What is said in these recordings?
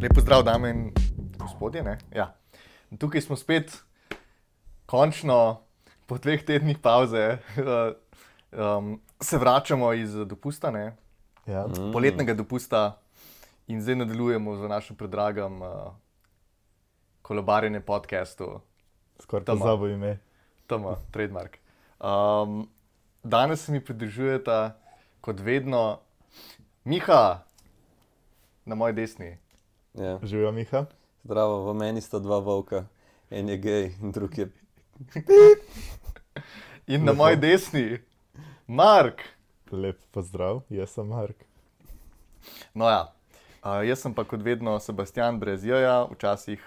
Lep pozdrav, dame in gospodje. Ja. Tukaj smo spet, končno, po 2 tednih pauze, se vračamo iz dopusta, Ja. poletnega dopusta, in zdaj nadaljujemo z našim predragim kolobarjenjem podcastu. Skoraj pozabil ime. Tama, trademark. Danes se mi pridružujeta, kot vedno, Miha, na moji desni. Ja. Živijo, Miha? Zdravo, v meni sta 2 volka, en je gej in drug je... In na moji desni, Mark. Lep pozdrav, jaz sem Mark. No ja, jaz sem pa kot vedno Sebastian brez J-ja, včasih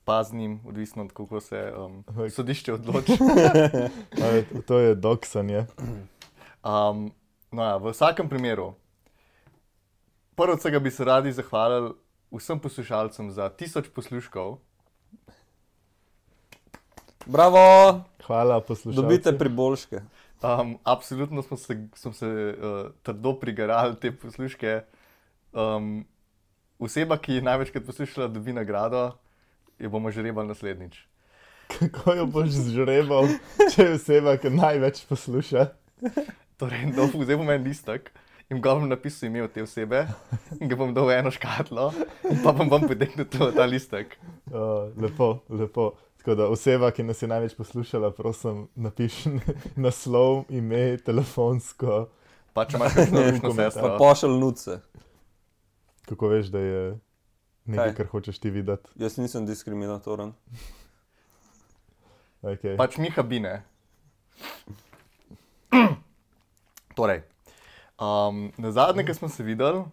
paznim, odvisno od kako se sodišče odloči. To je doksanje. No ja, v vsakem primeru, prvo od vsega bi se radi zahvalili vsem poslušalcem za 1000 posluškov. Bravo! Hvala poslušalcem. Dobite priboljške. Absolutno smo se trdo prigarali te posluške. Oseba, ki je največkrat poslušala, dobi nagrado, jo bomo žrebali naslednjič. Kako jo boš zžrebal, če je oseba, ki največ posluša? Torej, zdaj bom en listek in ga bom napisal ime od te osebe in ga bom dal v eno škatlo in pa bom potegnil ta listek. Lepo, lepo. Tako da oseba, ki nas je največ poslušala, prosim, napiši naslov, ime, telefonsko. Pa če imaš kakšno rušno sestro. Pa pošelj nuce. Kako veš, da je nekaj, Kaj? kar hočeš ti videti? Jaz nisem diskriminatoren. Okay. Pač Miha Bine. Torej, nazadnje, ko smo se videli,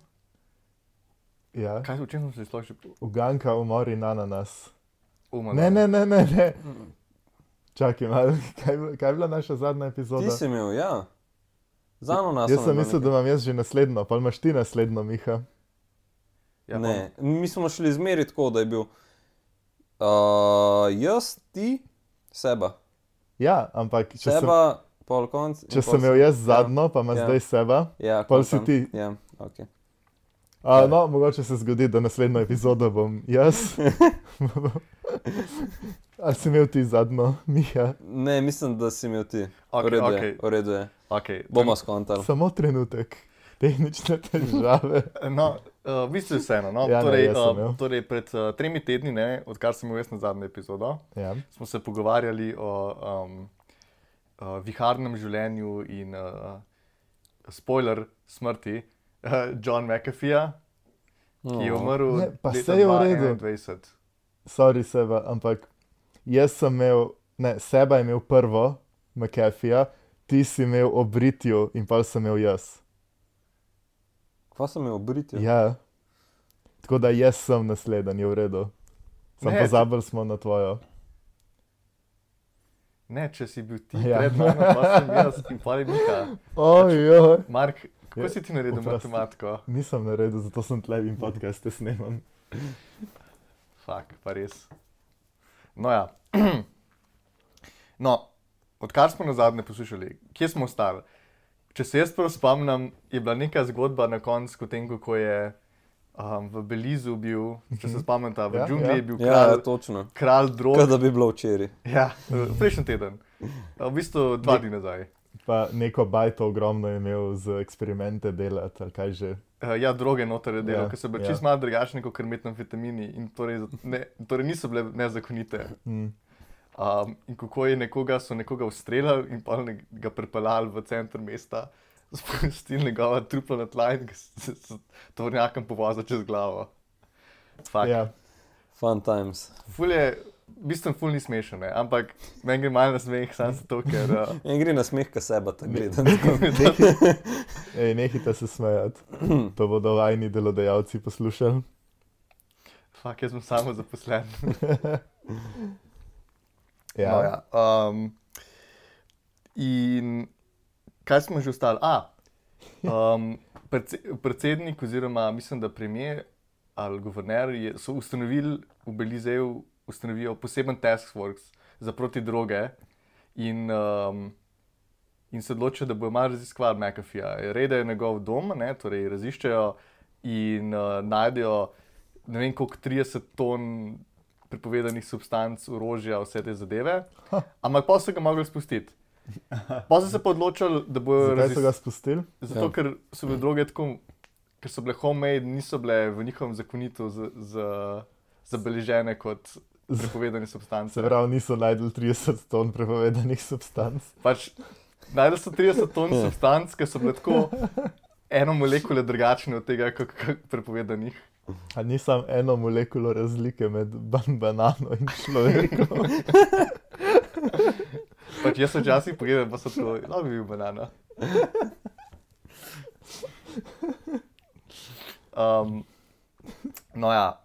Ja. o čem smo se sploh že Uganka, umor in ananas. umali? Ne. Čakaj malo, kaj je bila naša zadnja epizoda? Ti si imel, ja. Z ananasom Jaz je sem bilo mislil, da nekaj. imam jaz že naslednjo, pa imaš ti naslednjo, Miha. Ja, Ne, mi smo šli zmeri tako, da je bil jaz, ti, Seba. Ja, ampak če sem, Seba, pol konc. in če pol sem imel jaz zadnjo, pa ima Ja. zdaj seba. Ja, pol si kontam. ti. Ja, okej. No, mogoče se zgodi, da naslednjo epizodo bom jaz. Ali si imel ti zadnjo, Miha? Ne, mislim, da si imel ti. Okej, V redu je, okej. v redu je. Okay. Bomo skontali. Samo trenutek. Tehnične težave. No, v bistvu vseeno. No? Ja, ne, torej, jaz sem imel. torej, pred 3 tedni, odkar sem imel jaz na zadnjo epizodo, Ja. smo se pogovarjali o viharnem življenju in spoiler smrti John McAfeeja, ki je umrl Ne, pa leta saj je v redu. 2021. Sorry, seba, ampak jaz sem imel, ne, seba je imel prvo, McAfeeja, ti si imel obritju in pa sem imel jaz. Kva sem imel obritje? Ja. Tako da jaz sem naslednji, je v redu. Sam Ne, pozabili smo na tvojo. Ne, če si bil ti Ja. pred mano, pa sem jaz in pa je Miha. Ojoj. Mark, kako Ja, si ti naredil oprosti. matematiko? Nisem naredil, zato sem tle in podcaste snemam. Fak, pa res. No ja. No, odkar smo nazadnje poslušali, kje smo ostali? Če se jaz prav spomnim, je bila neka zgodba na koncu, potem kako je v Belizu bil, če se spomnite, v Ja, džungli ja. je bil Ja, točno. kralj drog. Kot da bi bilo včeraj. Ja, prejšnji teden. V bistvu 2 dni nazaj. Pa neko bajto ogromno je imel z eksperimente delati, ali kaj že. Ja, droge noter je delal, Ja, ker so bile ja. čisto malo drugačne kot metamfetamini in torej niso bile nezakonite. Mm. In kako so nekoga ustreljali in pa ga pripeljali v center mesta, spustili njegova trupla na tla in ga s tovornjakom povozili čez glavo. Fak. Ja. Fun times. Ful je, v bistvu ful ni smešen, ne? Ampak meni gre malo na smeh, sam zato, ker... En gre na smeh, ka Seba tako gleda. Ej, nehite se smejati. To bodo vajni delodajalci poslušali. Fak, jaz sem samo zaposlen. Ja. No, ja. In kaj smo že ostali? Predsednik oziroma mislim, da premier ali guverner so ustanovili v Belizeju poseben task force za proti droge in se odločijo, da bodo malo raziskovali McAfeeja. Redajo njegov dom, torej raziščejo in najdejo ne vem koliko 30 ton prepovedanih substanc, orožja, vse te zadeve. Ampak pa so ga mogli spustiti. Pa so se pa odločili, da bojo Zakaj so ga spustili? Zato, ker so bile droge tako, ker so bile homemade, niso bile v njihovem zakonitu zabeležene kot prepovedane substance. Se pravi, niso najdel 30 ton prepovedanih substanc. Pač, najdel so 30 ton substanc, ki so bile tako eno molekule drugačne od tega, kot prepovedanih. A ni samo eno molekulo razlike med banano in človekom? Pač jaz sem včasih pogledal, pa so to, bi bil banana. No ja,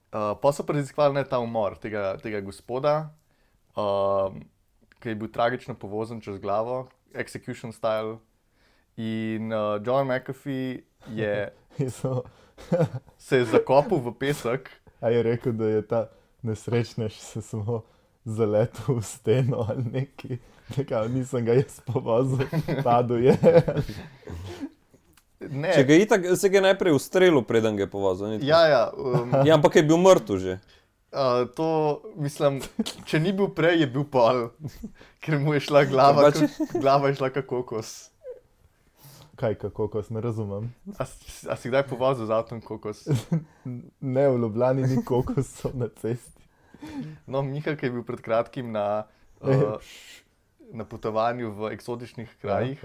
pa so raziskovali ta umor tega gospoda, ki je bil tragično povozen čez glavo, execution style. In John McAfee se je zakopal v pesek. A je rekel, da je ta nesrečnež se samo zaletel v steno ali nekaj. Nekaj, nisem ga jaz povozil, padel je. Ne. Če ga je itak, se ga je najprej ustrelil, preden ga je povozil. Ja. Ja, ampak je bil mrtev že. To, mislim, če ni bil prej, je bil pol, ker mu je šla glava je šla kot kokos. Kaj, kokos, ne razumem. A si kdaj povozil z avtom kokos? Ne, v Ljubljani ni kokosov na cesti. No, Miha, ki je bil pred kratkim na potovanju v eksotičnih krajih,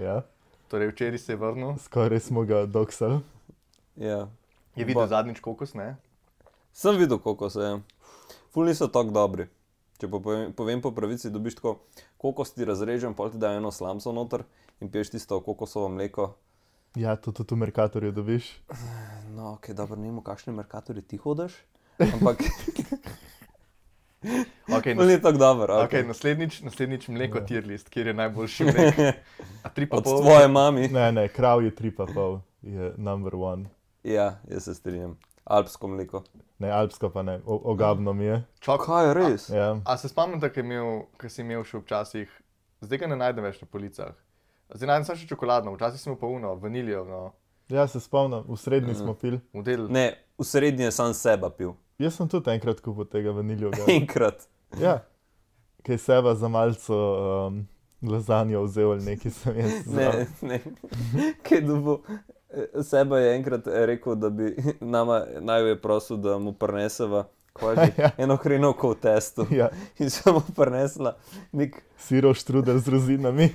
torej včeraj se je vrnil. Skoraj smo ga doksali. Ja. Je videl zadnjič kokos, ne? Sem videl kokose, ja. Ful niso tako dobri. Če pa povem po pravici, dobiš tako kokos ti razrežem, pol ti dajo eno slamco noter in piješ tisto kokosovo mleko. Ja, to tudi v Mercatorju dobiš. No, ok, dobro, ne vem, v kakšni Mercatorju ti hodiš, ampak ni tako dobro. Okay, naslednjič mleko tier list, kjer je najboljši mlek. Od tvoje mami. Ne, krav je 3,5, je number one. Ja, jaz se strinjam. Alpsko mleko. Ne, alpsko pa ne, ogabno mi je. Kaj je res? Ja. Se spomnite, kaj si imel še včasih, zdaj ga ne najdem več na policah. Zdaj najdem samo še čokoladno, včasih smo pa vaniljo. No. Ja, se spomnim, v srednji smo pil. Ne, v srednji je sam seba pil. Jaz sem tudi enkrat kupil tega vaniljoga. Enkrat? Ja, kaj seba za malco lazanjo vzel ali nekaj sem jaz znal. Ne, kaj dobo. Seba je enkrat rekel, da bi naj je prosil, da mu prineseva eno hrenovko v testu. Ja. In sem mu prinesla nek sirov štrudel z rozinami.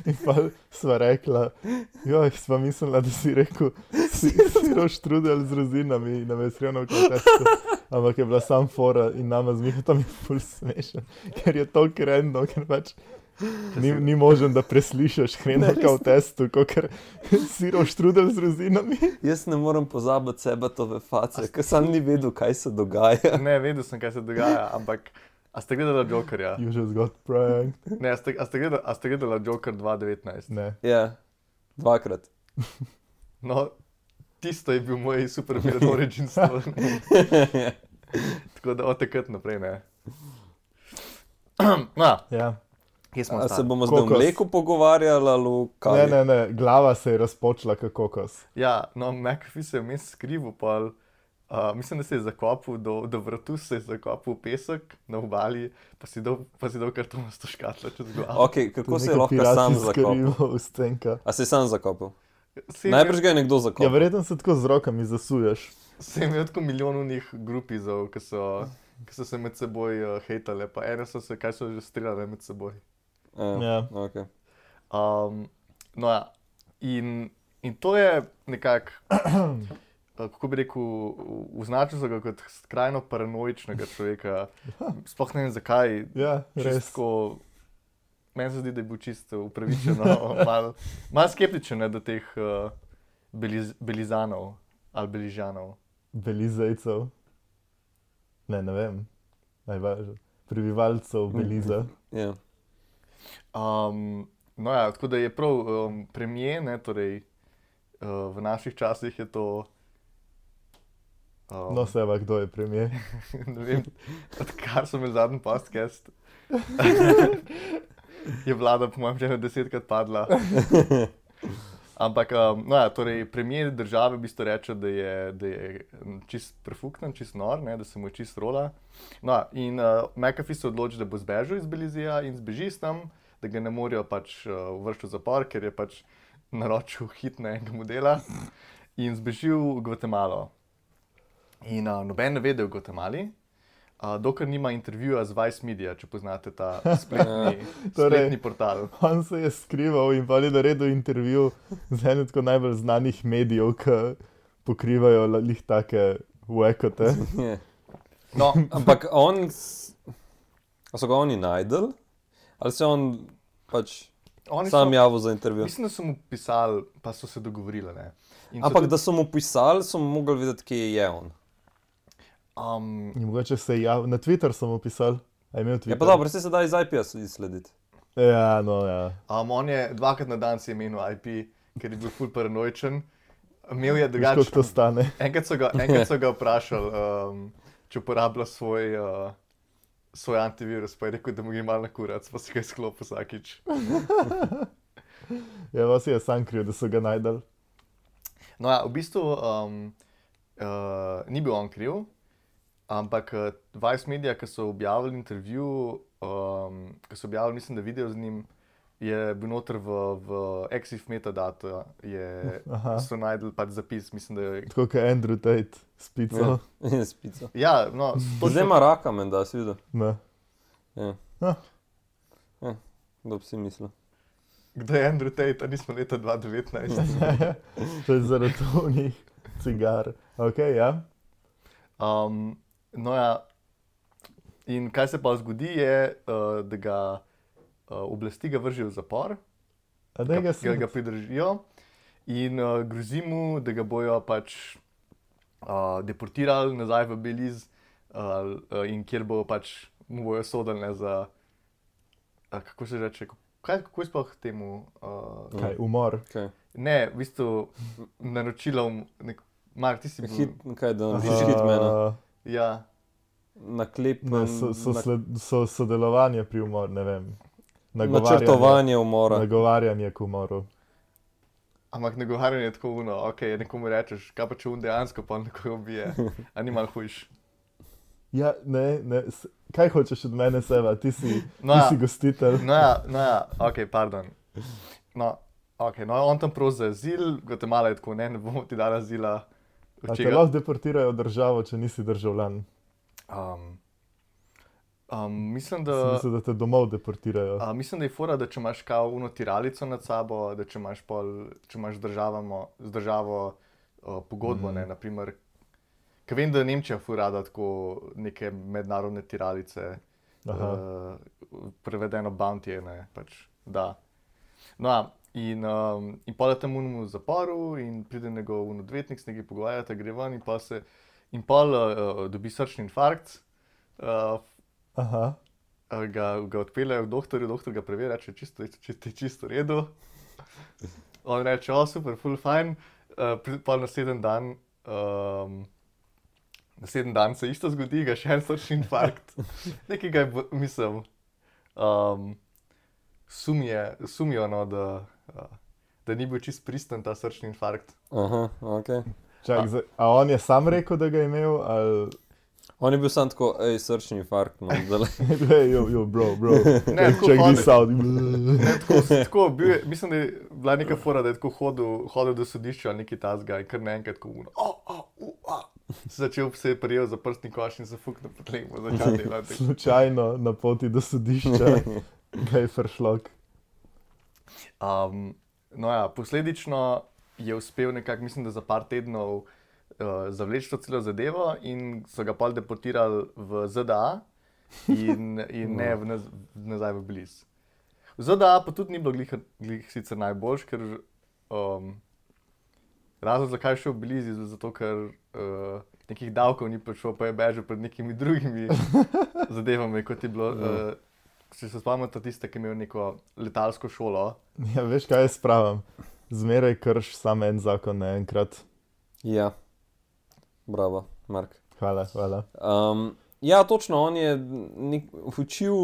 In pa sva rekla, sva mislila, da si rekel sirov štrudel z rozinami in nam je hrenovko v testu. Ampak je bila sam fora in nama z Mihatom je ful smešen, ker je toliko random, ker pač ni možen, da preslišaš hrenovka v testu, kakor sirov štrudel z rozinami. Jaz ne morem pozabiti Sebatove face, ker sam ni vedel, kaj se dogaja. Ne, vedel sem, kaj se dogaja, ampak a ste gledala Jokerja? You just got pranked. Ne, a ste gledala Joker 2019? Ne. Ja, 2-krat. No, tisto je bil moj super villain origin story. Tako da od takrat naprej, ne. No, ja. A se bomo zdaj v mleku pogovarjali ali v kavi? Ne, glava se je razpočila kot kokos. Ja, no, McAfee se je vmes skrival, pa mislim, da se je zakopal do vratu, se je zakopal v pesek na obali, pa si dal kartonasto škatlo čez glavo. Ok, kako se je lahko sam zakopal? A se je sam zakopal? Najbrž ga je nekdo zakopal. Ja, verjetno se tako z rokami zasuješ. Se je imel tako milijonovnih grupizov, ki so se med seboj hejtale, pa ene so se, kaj so že streljale med seboj. Ja. Ok. No ja, in to je nekako, kako bi rekel, označil so ga kot skrajno paranoičnega človeka. Sploh ne vem zakaj. Ja, res. Meni se zdi, da je bil čisto upravičeno, malo skeptičen do teh Belizanov ali Beližanov. Belizejcev? Ne vem. Najvažno. Prebivalcev Beliza. Ja. No ja, tako da je prav premier, ne, torej v naših časih je to... No, Seba, kdo je premier? Ne vem, odkar so imeli zadnji podcast, je vlada po mojem že 10-krat padla. Ampak, no ja, torej, premijer države v bistvu reče, da je čist prefuknen, čist nor, ne, da se mu je čist rola. No, in McAfee se odloči, da bo zbežal iz Belizija in zbeži s tam, da ga ne morejo pač vršiti v zapor, ker je pač naročil hit na enega modela in zbežil v Gvatemalo. In noben ne ve, da je v Gvatemali. Dokler nima intervjuja z Vice Media, če poznate ta spletni portal. On se je skrival in pa je naredil intervju z enim tako najbolj znanih medijev, ki pokrivajo lih take uekote. No, ampak so ga oni najdel? Ali se on pač sam javil za intervju? Mislim, da so mu pisali, pa so se dogovorili. Ne? Ampak da so mu pisali, so mu mogli vedeti, kje je on. In mogoče se je javil, na Twitter sem mu pisal, a je imel Twitter. Ja pa dobro, se da iz IP-ja izslediti. Ja, no ja. On je dvakrat na dan si je menil IP, ker je bil ful paranoičen. Imel je Veš, koliko to stane? Enkrat so ga vprašali, če uporablja svoj antivirus, pa je rekel, da mu gre malo na kurac, pa si ga izklopil vsakič. Ja, vas je sam kriv, da so ga najdel. No ja, v bistvu ni bil on kriv. Ampak Vice Media, ki so objavili intervju, ki so objavili, mislim, da video z njim, je bil noter v EXIF metadata, so najdel pač zapis, mislim, da je... Tako kot Andrew Tate s pico. Ja, s pico. Ja, no... Zdaj ima raka, menda, si videl? Ne. Ja. Kdo bi si mislil? Kdo je Andrew Tate, a nismo leta 2019? To je zaradi tonih cigar. Ok, ja. No ja, in kaj se pa zgodi je, da ga oblasti ga vržijo v zapor, ga pridržijo in grozi mu, da ga bojo pač deportirali nazaj v Belize in kjer bo pač mu bojo sodili za, kako se reče, kako je sploh temu? Kaj, umor? Okay. Ne, v bistvu naročilo, Mark, ti si bil... Kaj, da narediš hitmana? Ja. So sodelovanje pri umoru, ne vem. Načrtovanje umora. Nagovarjanje k umoru. Ampak nagovarjanje je tako uno, ok, nekomu rečeš, kaj pa če dejansko pa nekoga ubije, a ni malo hujš. Ja, ne, kaj hočeš od mene, Seva, ti si gostitelj. No ja, ok, pardon. No, on tam prosi za azil, Gvatemala je tako, ne bomo ti dali azila. A te lahko deportirajo v državo, če nisi državljan? Mislim, da te domov deportirajo. Mislim, da je fora, da če imaš kao uno tiralico nad sabo, da če imaš z državo pogodbo, ne, naprimer, ker vem, da Nemčija ful rada tako neke mednarodne tiralice, prevedeno bounty, ne, pač, da. No, in pol je tam v zaporu in pride njegov odvetnik, se nekaj pogovarjata, gre ven in pol dobi srčni infarkt. Ga odpeljejo k doktorju, doktor ga preveri, reče, čisto v redu. On reče, super, ful fajn. Pol naslednji dan se isto zgodi, ga še en srčni infarkt. Nekaj ga je, mislim, sumijo, no, da ni bil čist pristen ta srčni infarkt. Aha, ok. Čak, a on je sam rekel, da ga je imel, ali... On je bil sam tako, srčni infarkt, no, zdaj. Yo, bro. Ne, check this out. Tako, mislim, da je bila neka fora, da je tako hodil do sodišča ali nekaj tasga in kar naenkrat tako začel se je prijel za prstni koš in se fuknil po tleh, bo začel delati. Slučajno na poti do sodišča ga je fršlok. No ja, posledično je uspel nekako, mislim, da za par tednov zavleči to celo zadevo in so ga pol deportirali v ZDA in ne nazaj v Belize. V ZDA pa tudi ni bilo glih sicer najboljš, ker razlog, zakaj je šel v Belize, je zato, ker nekih davkov ni prišel, pa je bežal pred nekimi drugimi zadevami, kot je bilo, če se spomnite tiste, ki je imel neko letalsko šolo. Ja, veš, kaj jaz pravim? Zmeraj krš samo en zakon naenkrat. Ja. Bravo, Mark. Hvala. Ja, točno, on je učil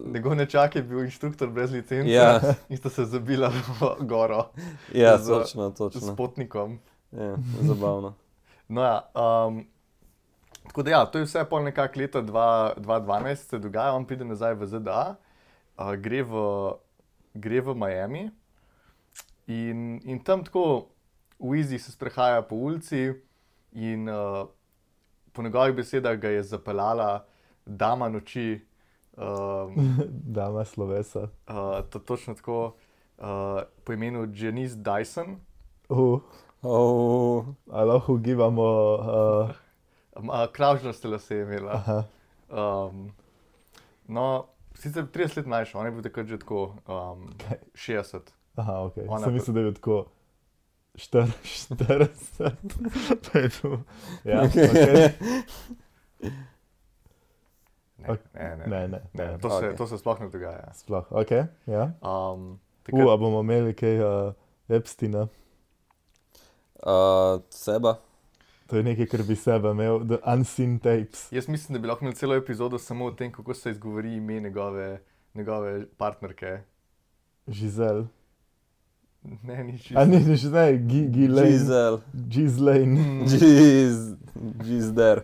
Njegov nečak je bil inštruktor brez licence Ja. in sta se zabila v goro Ja, z- točno, s točno. potnikom. Ja, zabavno. No ja, tako da ja, to je vse pol nekako leta 2012 se dogaja, on pride nazaj v ZDA, gre v Miami in tam tako v Easy se sprehaja po ulici in po njegovih besedah ga je zapeljala dama noči, Dama slovesa. to točno tako, po imenu Janice Dyson. Oh, A lahko ugibamo. Kravžnaste lase je imela. Aha. No, sicer 30 let mlajša, on je bil takrat že tako 60. Aha, ok. Ona Sem mislil, da je bil tako 40. Pa je tu. Ja, ok. Ne. To se sploh ne dogaja. Sploh, ok. Ja. Takrat, A bomo imeli kaj Epsteina. Seba. To je nekaj, kar bi sebe imel. The Unseen Tapes. jaz mislim, da bi lahko imeli celo epizodo samo o tem, kako se izgovori ime njegove partnerke. Žizel. Ne, ni A čisto. ni že ne, Ghislaine. Giselle. Ghislaine. Gisder.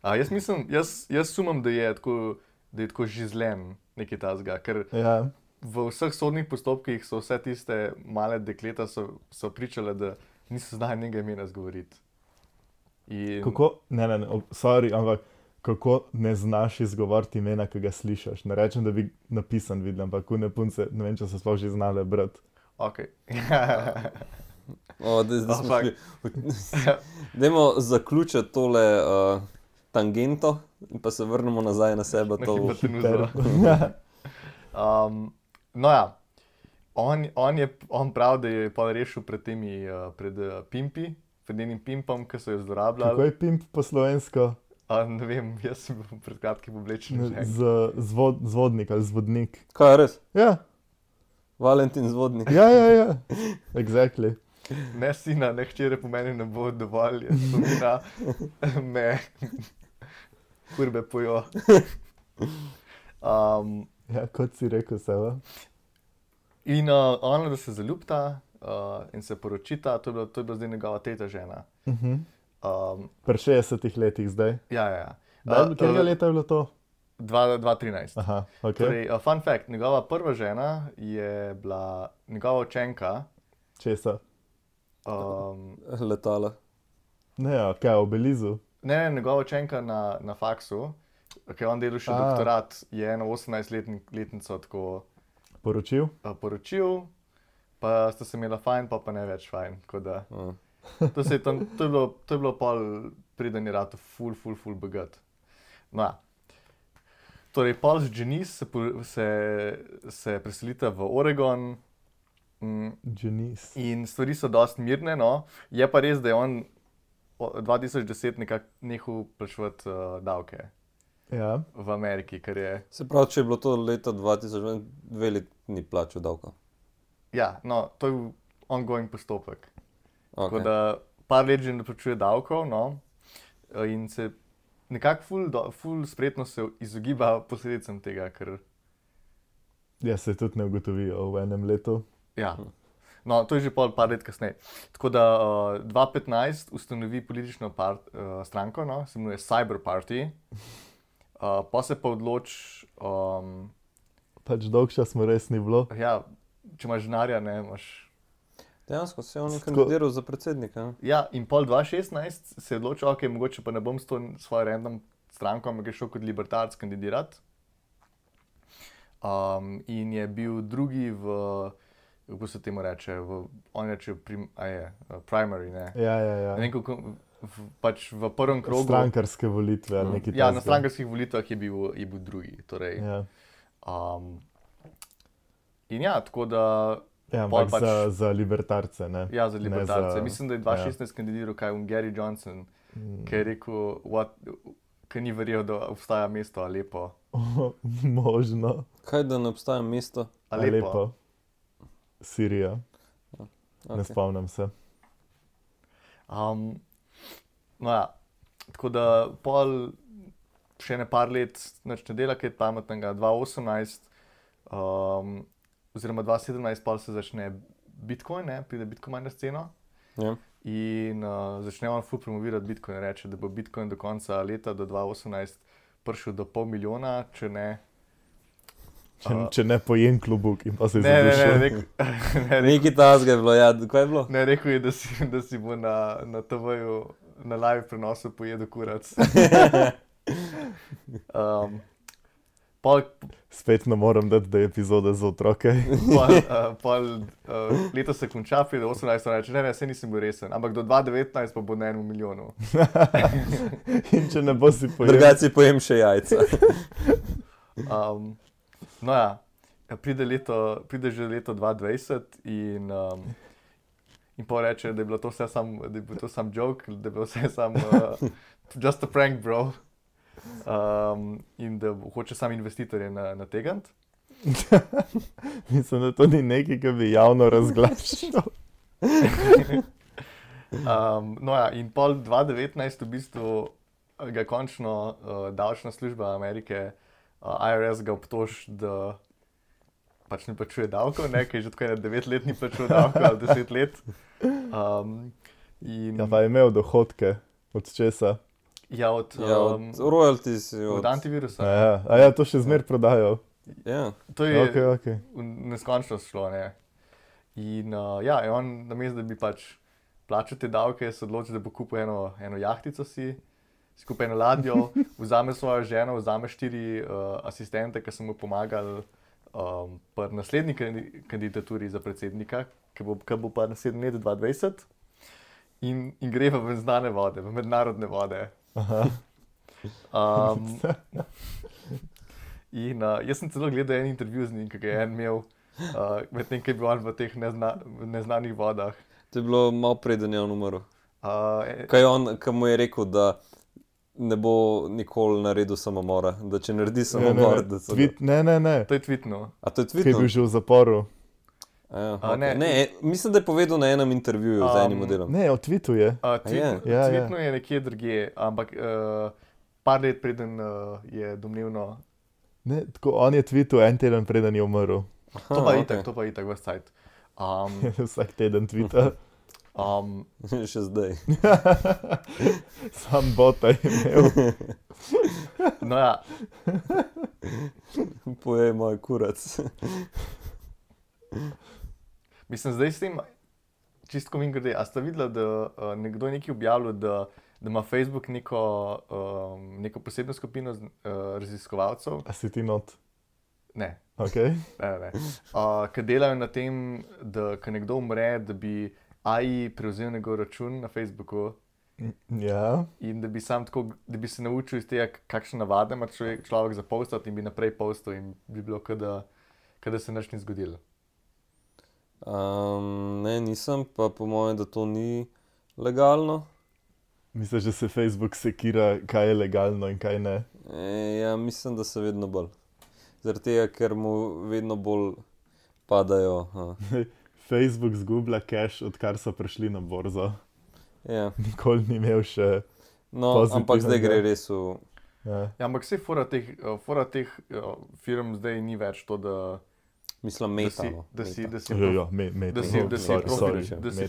Jaz mislim, jaz sumam, da je tako žizlen nekaj tazga, ker Ja. v vseh sodnih postopkih so vse tiste male dekleta so pričale, da niso znali njega imena izgovoriti. In Kako, sorry, ampak kako ne znaš izgovoriti imena, ki ga slišiš. Ne rečem, da bi napisan videl, ampak kune punce, ne vem, če so sploh že znale brati. okej. Zdaj smo Ampak- šli. Dajmo zaključiti tole tangento in pa se vrnemo nazaj na sebe. Na To, hipotenuzo. No ja, on pravi, da je pa rešil pred temi, pimpi, pred enim pimpom, ki so jo Kako zlorabljali. je pimp po slovensko? Ne vem, jaz sem bil pred kratkim oblečen. že. Zvodnik ali zvodnik. kaj je res? Ja, Valentin Zvodnik. ja. Exactly. Ne sina, ne hčere po meni ne bo dovolj, jaz spomina me kurbe pojo. Ja, kot si rekel, Seva. In ona, da se zaljubita in se poročita, to je bila zdaj njegova tretja žena. Pri 60 letih zdaj. Ja. Katerega leta je bilo to? 2013. Aha, ok. Torej, fun fact, njegova prva žena je bila njegova učenka. Česa? Letala. Ne, ja, kaj, v Belizu? Ne, njegova učenka na faksu, ki je on delal še doktorat, je eno 18-letnico tako Poročil? poročil, pa sta se imela fajn, pa ne več fajn. Tako da, Uh. to je bilo pol preden je rato ful bogat. No, ja. Torej, pol z Janice se preselita v Oregon Janice. in stvari so dosti mirne, no. Je pa res, da je on 2010 nekako nehal plačevati davke Ja, v Ameriki, ker je, Se pravi, če je bilo to leta 2000, 2 leti ni plačal davka. ja, no, to je ongoing postopek. Tako Okay. da par let že ne plačuje davkov, no, in se nekako ful spretno se izogiba posledicam tega, ker, ja, se tudi ne ugotovijo v enem letu. ja, no, to je že par let kasneje. Tako da 2015 ustanovi politično stranko, no, se imenuje Cyber Party, pa se pa odloči, Pač dolg čas mu res ni bilo. ja, če imaš denarja, ne, imaš. Dejansko se je on kandidiral za predsednika. Ne? Ja, in pol 2016 se je odločil, ok, mogoče pa ne bom s to svojo random stranko, ampak je šel kot libertarc kandidirati. In je bil drugi kako se temu reče, on reče primary, ne. Ja. Ne vem, kako, pač v prvem krogu. Strankarske volitve ali nekaj Ja, na takega. strankarskih volitvah je bil drugi. Torej, Ja, in ja, tako da, ja Pol ampak pač- za libertarce, ne? ja, za Ne libertarce. za- Mislim, da je 2016 kandidiral Gary Johnson, ki je rekel, ki ni verjel, da obstaja mesto Alepo. Možno. Kaj da ne obstaja mesto? Alepo. Sirija. Ne Okay. spomnim se. No ja, tako da pol še ne par let nič ne dela, kaj pametnega, 2018 oziroma 2017 pa se začne Bitcoin, ne? Pride Bitcoin na sceno. Ja. In začne on ful promovirati Bitcoin, reče, da bo Bitcoin do konca leta, do 2018, prišel do 500 000, če ne. Če ne pojem klobuk in pa se Ne, zadušil. Nekaj tasga je bilo, ja, kaj je bilo? Ne, rekel je, da si bo na TV-ju, na live prenosu pojedel kurac. Spet ne moram dati, da je epizoda za otroke. Leto se konča, pride 18, reče, ne, saj nisem bil resen, ampak do 2019 pa bo na 1 milijonu. In če ne bo si pojem. Drugače pojem še jajca. No ja, pride že leto 2020 in pa reče, da je bilo to vse sam joke, da je bilo vse sam just a prank, bro. In da hoče sam investitorje nategant. Mislim, da to ni nekaj, ki bi javno razglašal. No ja, in pol 2019 v bistvu ga končno davčna služba Amerike, IRS ga obtoži, da pač ne plačuje davkov, ne, ker je že tako 9 let ni plačul davkov, ali 10 let. Ja, pa je imel dohodke, od česa? Ja, od royalties. od antivirusa. Ja, to še zmer prodajo. Ja. To je Okay. v neskončnost šlo, ne. In ja, je on namesto, da bi pač plačal te davke, se odločil, da bo kupil eno jahtico si kupi eno ladjo, vzame svojo ženo, vzame 4 asistente, ki so mu pomagali pri naslednji kandidaturi za predsednika, ki bo pa naslednji let 2020, in gre v neznane vode, v mednarodne vode. In jaz sem celo gledal en intervju z njim, ki ga je en imel, medtem ko je bil on v teh neznanih vodah. To je bilo malo preden je on umrl. Kaj mu je rekel, da ne bo nikoli naredil samomora, da če naredi samomor, da se Ne. To je tweetno. A to je Ki je tweetno? bil že v zaporu. Ne. Ne, mislim, da je povedal na enem intervjuju z enim modelom. Ne, od tweetu je. Tweetno je nekje drugje, ampak par let preden je domnevno. Ne, tako, on je tweetu en teden preden je umrl. To pa itak vas cajt. Vsak teden tweeta. Še zdaj. Sam bota je imel. No ja, Pojej moj kurac. mislim, zdaj s tem, čistko mimogrede, a ste videli, da nekdo je nekaj objavil, da ima Facebook neko posebno skupino raziskovalcev? A si ti not? Ne. Okay. Ne. Ki delajo na tem, da ko nekdo umre, da bi AI prevzel njegov račun na Facebooku Ja. in da bi da bi se naučil iz tega, kakšne navade ima človek za postati in bi naprej postal in bi bilo, kot da se nič ni zgodilo. Ne, nisem, pa po mojem, da to ni legalno. Misliš, da se Facebook sekira, kaj je legalno in kaj ne? Ja, mislim, da se vedno bolj. Zaradi tega, ker mu vedno bolj padajo. Facebook zgublja cash, odkar so prišli na borzo. Ja. Nikoli ni imel še. No, ampak zdaj gre res v... Ja. Ja, ampak vse fora teh firm zdaj ni več to, da Mislim, metano. da si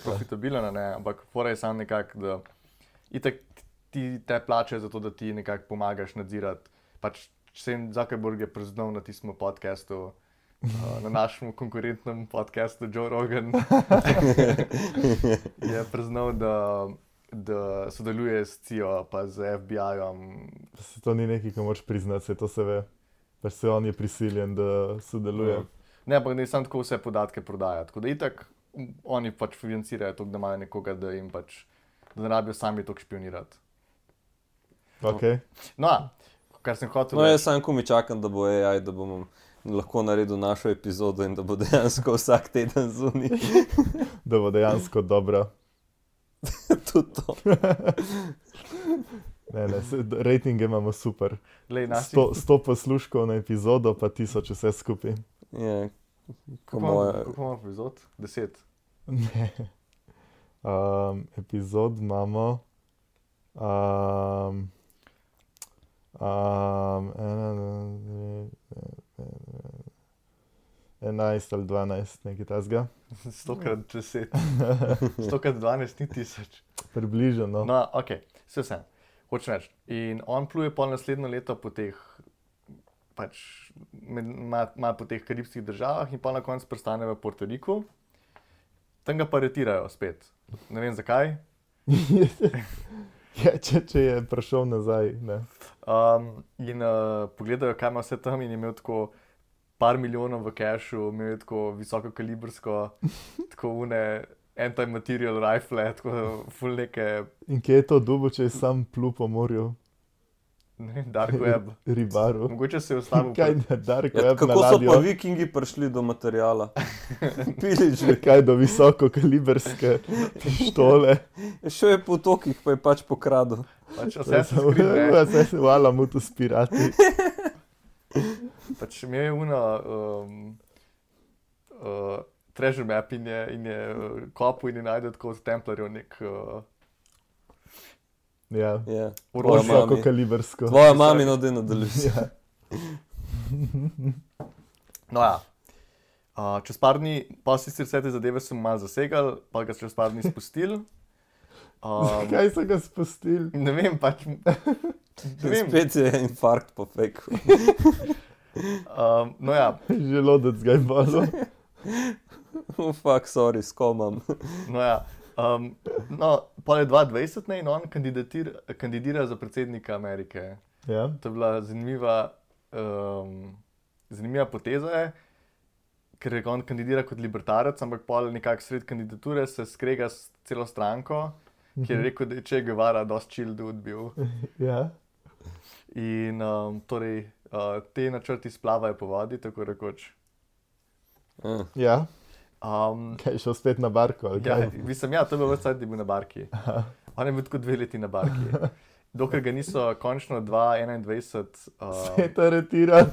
profitabilen, ne, ampak fora je samo nekako, da itak ti te plačajo za to, da ti nekako pomagaš nadzirati. Pač Sam Zuckerberg je priznal na tistem podcastu, na našem konkurentnem podcastu Joe Rogan, je priznal, da sodeluje s CIA pa z FBI-jem. To ni nekaj, kar moraš priznati, se to se ve. Pač se on je prisiljen, da sodeluje. Ne, ampak ne samo tako vse podatke prodaja. Tako da itak oni pač financirajo to, da imajo nekoga, da jim pač, da ne rabijo sami to špionirati. Okay. No, kar sem hotel No, jaz sam komi čakam, da bo AI, da bom lahko naredil našo epizodo in da bo dejansko vsak teden zunaj. Da bo dejansko dobra. Tudi to. Ne, ratinge imamo super. 100 posluškov na epizodo, pa 1000 vse skupaj. Ja, Koliko imamo epizod? 10? Ne. Epizod imamo 11 ali 12, nekaj tasga. 100x10. 100x12 ni 1000. Približno. No, ok, vse. Hočem reči. In on pluje pol naslednjo leto po teh, pač, ima po teh karibskih državah in pa na koncu pristane v Puerto Riku. Tam ga pa retirajo spet. Ne vem zakaj. Ja, če je prišel nazaj, ne. In pogledajo, kaj ima vse tam in je imel tako par milijonov v cashu, imel je tako visoko kalibrsko, tako anti-material rifle, tako ful neke, In kje je to dubo, če je sam plul po morju? ne vem, dark web. Ribaru. Mogoče se je ustavil. Kaj je dark Ja, web na kako so ladjo? pa vikingi prišli do materijala? Pili že. Kaj do visoko kaliberske pištole? Šel je po tokih, pa je pač pokradel. Pač Assassin's Creed, ne. Vse se vala mu tu spirati. Pač imel je treasure map in je kopal in je najdel tako od Templarjev nek Ja, Ja. orožje. visoko kalibersko. Tvoja mamina da nadaljuje. Ja. No ja. Čez par dni, pa sicer vse te zadeve so mu malo zasegali, pa ga so čez par dni spustili. Kaj so ga spustili? Ne vem, pač. Ne vem. Spet je infarkt popekel. No ja, Želodec ga je bolel. Fuck, sorry, skomam. no ja. No, pa je 2020 ne, in on kandidira za predsednika Amerike. Ja. To je bila zanimiva poteza, ker je on kandidira kot libertarec, ampak pol nekako sred kandidature se skrega s celo stranko, kjer je rekel, da je Che Guevara dosti chill dude bil. Ja. In torej te načrti splavajo po vodi, tako rekoč. Ja. Um, Kaj je šel spet na barko? Ali ja, kaj? mislim, ja, to je bilo več cajt, da je bil na barki. On je bil tako 2 leti na barki. Dokler ga niso končno 2021 Spet aretiran.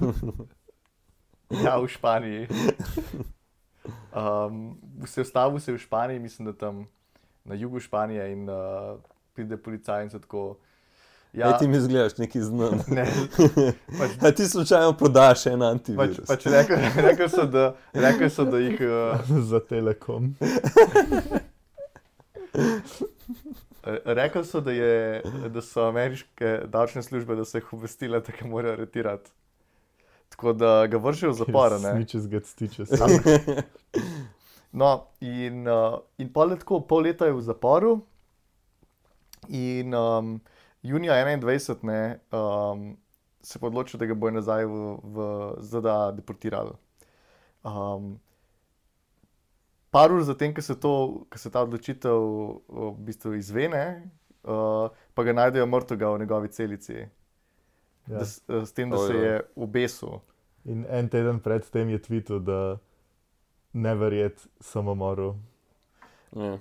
ja, v Španiji. Se je ustavil se v Španiji, mislim, da tam na jugu Španije in pride policaj in se tako. Ja, ti mi izgledaš neki znan. Ne, pač, A ti slučajno podaš en antivirus. pač rekel so, da jih. Za Telekom. Rekel so, da so ameriške davčne službe, da so jih obvestile, da ga morajo aretirati. Tako da ga vršijo v zapor, ne. Snitches get stitches. No, in pol leta je v zaporu in junija 2021 ne, se pa odločil, da ga bojo nazaj v ZDA deportirali. Par ur zatem, ko se ta odločitev v bistvu izvene, pa ga najdejo mrtvega v njegovi celici. Ja. S tem, da se je obesil. In en teden pred tem je tweetil, da ne verjet samomoru. Ja.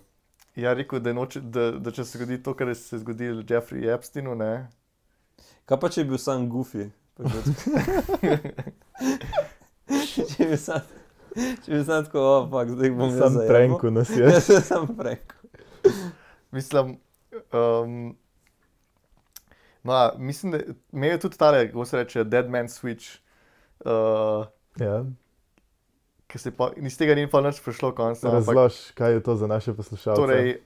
Ja, rekel, da če se zgodi to, kar se je zgodilo Jeffrey Epsteinu, ne. Kaj pa če je bil sam goofy? Če bi sam tako, fuck, zdaj bom jaz Sam zajemal. pranku nas je. Ja, sam pranku. Mislim, no, mislim, da imel je tudi tale, kako se reče, dead man switch, Ja. ki se pa iz tega ni pa nič prišlo konca. Razlož, kaj je to za naše poslušalce. Torej,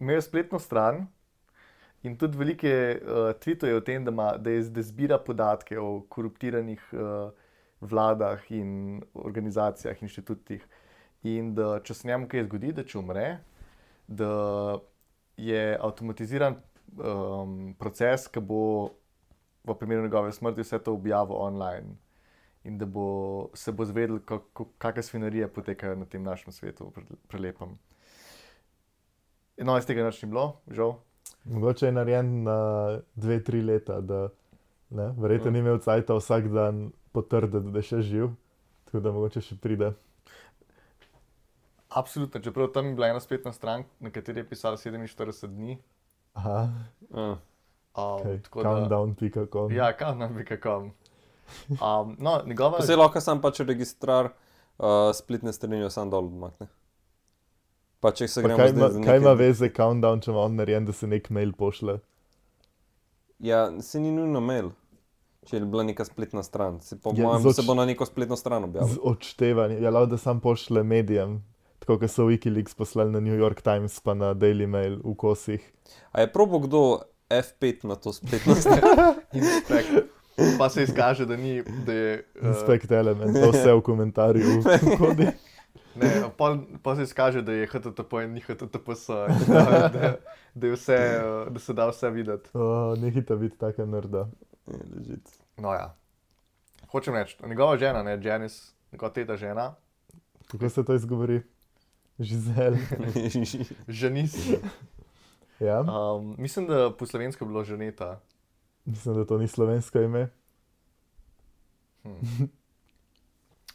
imel je spletno stran in tudi velike tweetuje o tem, da zbira podatke o koruptiranih vladah in organizacijah, inštitutih. In da če se njemu kaj zgodi, da če umre, da je avtomatiziran proces, ki bo v primeru njegove smrti vse to objavil online. In da se bo zvedel, kakšne svinarije potekajo na tem našem svetu, prelepem. No, iz tega nič ni bilo, žal. Mogoče je narejen na 2-3 leta, da ne, verjetno ni imel cajta vsak dan potrditi, da je še živ, tako da mogoče še pride. Absolutno, čeprav tam je bila ena spletna stran, na kateri je pisalo 47 dni. Aha, Ja. countdown.com. Ja, countdown.com. No, njegova... Vse lahko sam pač registrar spletne strani sam dol odmakne. Pa če se gremo zdaj za Kaj ima veze countdown, če ima on narejen, da se nek mail pošle? Ja, se ni nujno mail. Če je bila neka spletna stran, po Ja, mojem se bo na neko spletno stran Z objavil. odštevanjem. Ja, lahko da sam pošle medijem, tako kot so Wikileaks poslali na New York Times pa na Daily Mail v kosih. A je probo kdo F5 na to spletno stran? Inspekt. Pa se izkaže, da ni, da je... Inspect element, to vse v komentarju kodi. Ne, pa se izkaže, da je HTTP in ni HTTPS, da je vse, da se da vse videti. Nehite biti taka nerda. Legit. No ja. Hočem reči, njegova žena, ne, Janice, njegova teta žena, Kako se to izgovori? Žizel. Janice, Ja, mislim, da po slovensko je bilo ženeta. mislim, da to ni slovensko ime.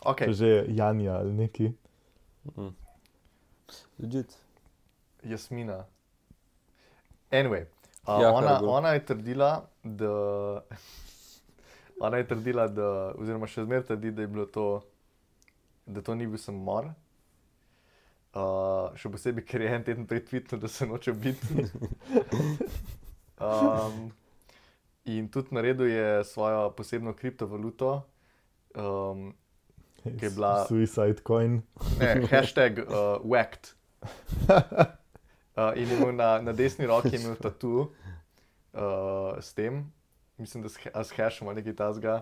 Ok, To že je Janja ali neki. Legit. Jasmina. Anyway, Ja, kar je bilo. ona je trdila, da oziroma še zmeraj trdi, da je bilo to, da to ni bil samomor. Še posebej, ker je en teden prej tweetnil, da se noče biti. In tudi naredil je svojo posebno kriptovaluto, ki je bila Suicide coin. ne, hashtag whacked. In je imel na desni roki je imel tatu s tem, mislim, da s hashom ali nekaj tasga.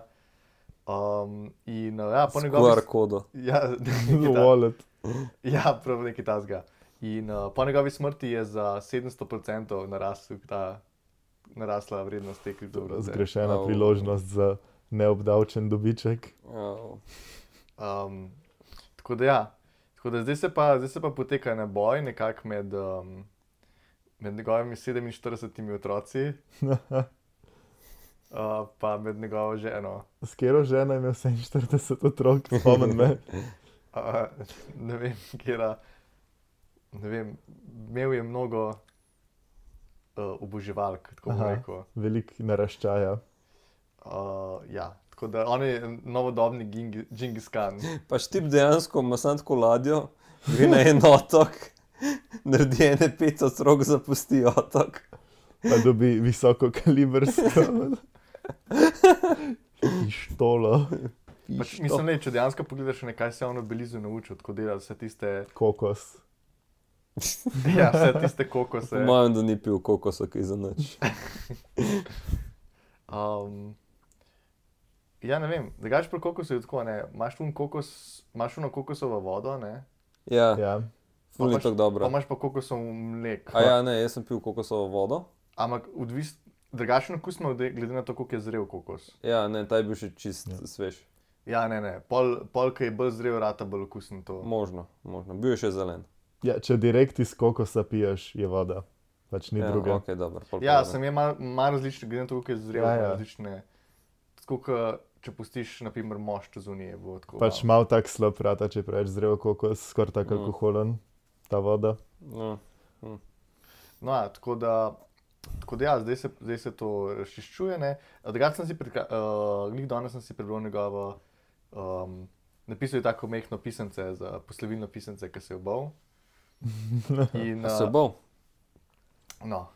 In ja, po njegovi... QR kodo. Ja, Wallet. ja, prav nekaj tasga. In po njegovi smrti je za 700% narasla vrednost te kriptovalute. Zgrešena Au. priložnost za neobdavčen dobiček. Tako da ja, tako da zdaj se pa poteka en boj nekako med njegovimi 47 otroci, pa med njegovo ženo. S katero ženo je imel 47 otrok, spomnim me. Ne vem, kjera, ne vem, imel je mnogo oboževalk, tako bom Aha. rekel. Velik naraščaja. Ja, tako da on je novodobni Džingis Khan. Pa štip dejansko ima samo tako ladjo, gre na en otok, naredi ene 5 otrok, zapusti otok. Pa dobi visoko kalibersko pištolo. Pač, mislim, ne, če dejansko pogledaš, kaj se je on v Belizu naučil, tako dela vse tiste, Kokos. ja, vse tiste Po kokose. mojem, da ni pil kokosa, kaj za nič. Ja, ne vem, drugače pri kokosu je tako, ne, imaš uno kokosovo vodo, ne, Ja, Ja. ful ni imaš- tako pa dobro. imaš pa kokosov mlek. A ja, ne, jaz sem pil kokosovo vodo. Ampak drugačen okus ima glede na to, koliko je zrel kokos. Ja, ne, ta je bil še čist svež. Ja, ne, pol, ki je bolj zrel, rata bolj okusen to. Možno. Bil je še zelen. Ja, če direkt iz kokosa piješ, je voda. Pač ni Ja, druge. ok, dobro. pol pa Ja, ne. sem je malo različne, glede na to, koliko je zrel, Ja, ima ja. različne. Tako, kot če pustiš, na primer, mošt zunije, bo tako. Pač mal tak slab rata, če preveč zrel kokos, skoraj tako alkoholen, ta voda. No, No, ja, tako da ja, zdaj se to razčiščuje. Drugače sem si, glih danes sem si prebral njegovo, napisal je tako mehko pisance, za poslovilno pisance, ki se je obal. In, a se bol? no,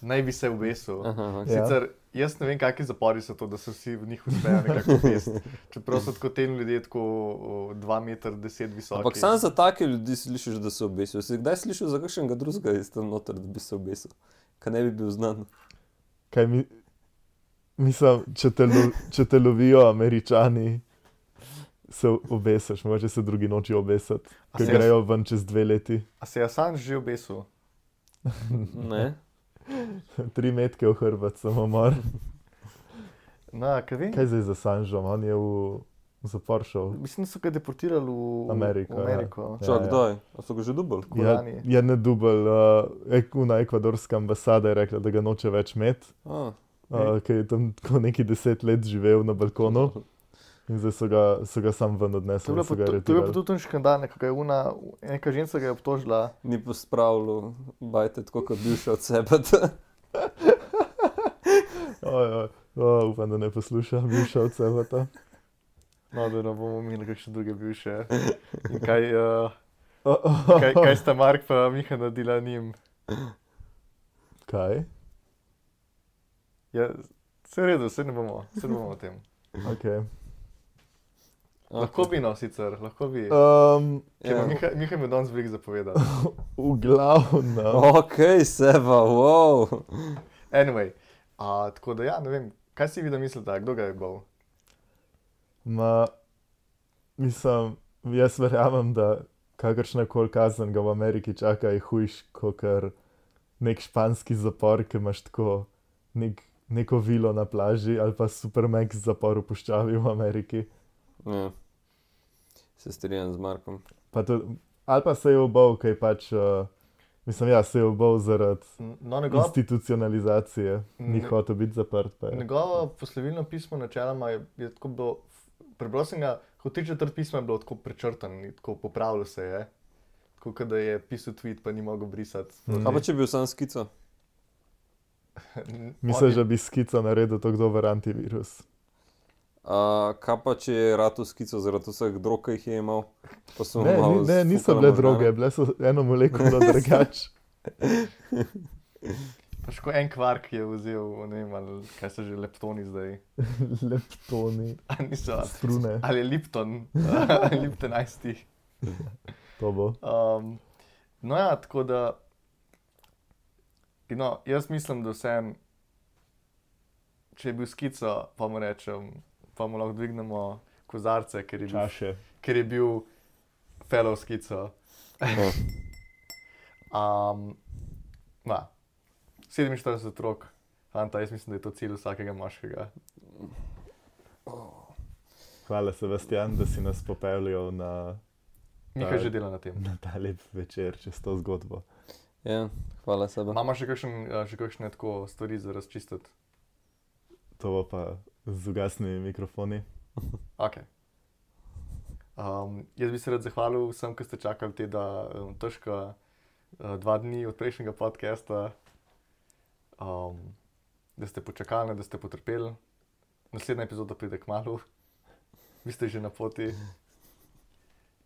naj bi se obesil. Aha, ok. Ja. Sicer jaz ne vem, kakšni zapori so to, da se vsi v njih uspejo nekako obesiti. Čeprav so tako tem ljudje tako 2,10 m visoki. Ampak samo za take ljudi slišiš, da se obesijo. Si kdaj slišal za kakšnega drugega iz tam noter, da bi se obesil? Kaj ne bi bil znan? Kaj mislim, če te lovijo Američani, se obesiš, mogoče se drugi noči obesati, A ki se grejo ven čez 2 leti. A se je Assange že obesil? Ne? 3 metke v hrbet, samo mar. No, kaj vem? Kaj zdaj za Sanžom? On je v zapor šel. Mislim, da so ga deportirali v Ameriko, ja. Ameriko. Čak, ja. kdaj? A so ga že dubali? Kolani. Je ne dubel, una ekvadorska ambasada je rekla, da ga noče več imeti, ker je tam tako neki 10 let živel na balkonu in zdaj so ga sam ven To odnesli. je bilo in so ga pa aretirali. tudi en škandal, nekako je neka ženska ga je obtožila. Ni pospravljal bajte tako, kot bivša od sebe. Upam, da ne posluša, bivša od sebe. No, da ne bomo imeli kakšne druge bivše. In kaj sta Mark pa Miha naredila njim? Kaj? Ja, Vse v redu, se ne bomo o tem. Okay. Lahko bi no, sicer, lahko bi. Ja. Miha mi je danes veliko zapovedal. V glavnem. Ok, Seba, wow. Anyway, tako da ja, ne vem, kaj si vi da mislite, kdo ga je bol? Mislim, jaz verjamem, da kakršna koli kazen ga v Ameriki čaka je hujš, kot nek španski zapor, ki imaš tako neko vilo na plaži ali pa Supermax zapor v puščavi v Ameriki. Ja. Se strinjam z Markom. Ali pa se je obal, kaj pač, se je obal zaradi institucionalizacije, ni hotel biti zaprt. Njegovo poslovilno pismo načeloma je tako bilo, prebral sem ga, kot 3/4 pisma je bilo tako prečrtan, tako popravilo se je. Tako da je pisal tweet, pa ni mogel brisati. Kaj pa če bi bil sam skico? Misliš, da bi skico naredil to dober antivirus? Kaj pa če je ratu skico zaradi vseh drog, ki jih je imel? Ne, niso bile droge, bile so eno molekulo drugače. Pač ko en kvark je vzel, ne vem, ali kaj so že leptoni zdaj. Leptoni, strune. Ali je Lipton, Lipton Ice Tea. To bo. No ja, tako da, no, jaz mislim, da vsem, če je bil skico, pa mu rečem, pa mu lahko dvignemo kozarce, ker je bil fellow skico. 47 otrok, fanta, jaz mislim, da je to cilj vsakega moškega. Hvala, Sebastian, da si nas popeljal na Miha že dela na tem. Na ta lep večer, čez to zgodbo. Ja, hvala Seba. Imamo še kakšne tako stvari za razčistiti? To bo pa z ugasnimi mikrofoni. Ok. Jaz bi se rad zahvalil vsem, ki ste čakali te težka 2 dni od prejšnjega podcasta, da ste počakali, da ste potrpeli. Naslednja epizoda pride kmalu. Vi ste že na poti.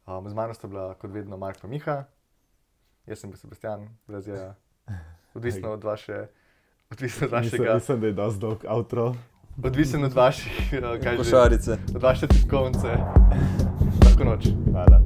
Z mano sta bila kot vedno Mark pa Miha. Jaz sem bil Sebastian, brez jeja. Odvisno od vašega... Mislim, da je dosti dolg outro. Odvisno od vaših... Košarice. Od vaše tiskovnice. Lahko noč. Hvala.